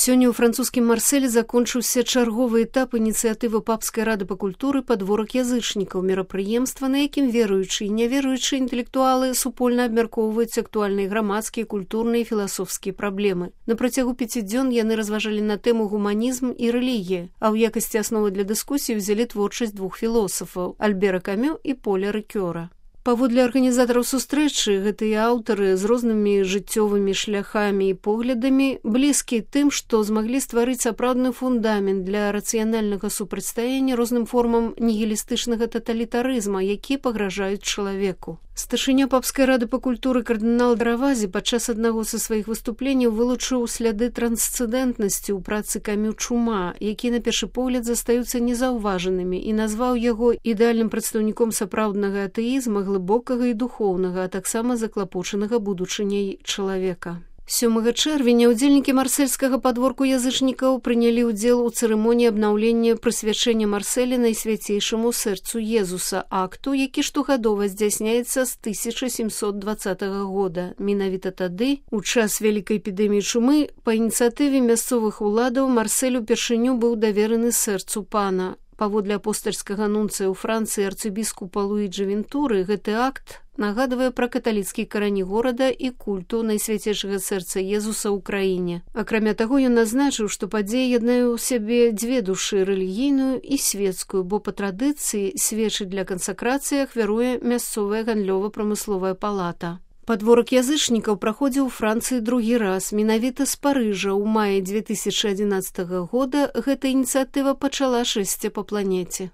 Сёння ў французскім Марселі закончыўся чарговы этап ініцыятывы Папскай рады па культуры «Падворак язычнікаў», мерапрыемства, на якім веруючыя і няверуючыя інтэлектуалы супольна абмяркоўваюць актуальныя грамадскія, культурныя і філасофскія праблемы. На працягу 5 дзён яны разважалі на тэму гуманізм і рэлігія, а ў якасці асновы для дыскусіі ўзялі творчасць двух філосафаў – Альбера Камю і Поля Рикёра. Паводле арганізатараў сустрэчы, гэтыя аўтары з рознымі жыццёвымі шляхамі і поглядамі блізкія тым, што змаглі стварыць сапраўдны фундамент для рацыянальнага супрацьстаяння розным формам нігілістычнага таталітарызма, які пагражаюць чалавеку. Старшыня Папскай рады па культуры кардынал Дравазі падчас аднаго са сваіх выступленняў вылучыў сляды трансцэндэнтнасці ў працы Камю «Чума», якія на першы погляд застаюцца незаўважанымі, і назваў яго ідэальным прадстаўніком сапраўднага атэізма, глыбокага і духоўнага, а таксама заклапочанага будучыняй чалавека. 7 чэрвеня ўдзельнікі марсельскага падворку язычнікаў прынялі ўдзел у цырымоніі абнаўлення прысвячэння Марселя Найсвяцейшаму сэрцу Езуса, акту, які штогадова здзяйсняецца з 1720 года. Менавіта тады, у час вялікай эпідэміі чумы, па ініцыятыве мясцовых уладаў Марсель упершыню быў давераны сэрцу пана. Паводле апостальскага нунцыя ў Францыі арцыбіскупа Луіджы Вентуры, гэты акт нагадвае пра каталіцкія карані горада і культу Найсвяцейшага сэрца Езуса ў краіне. Акрамя таго, ён назначыў, што падзея яднае ў сябе дзве душы – рэлігійную і светскую, бо па традыцыі свечыць для кансакрацыі ахвяруе мясцовая гандлёва-прамысловая палата. Падворак язычнікаў праходзіў у Францыі другі раз. Менавіта з Парыжа ў маі 2011 года гэта ініцыятыва пачала шэсце па планеце.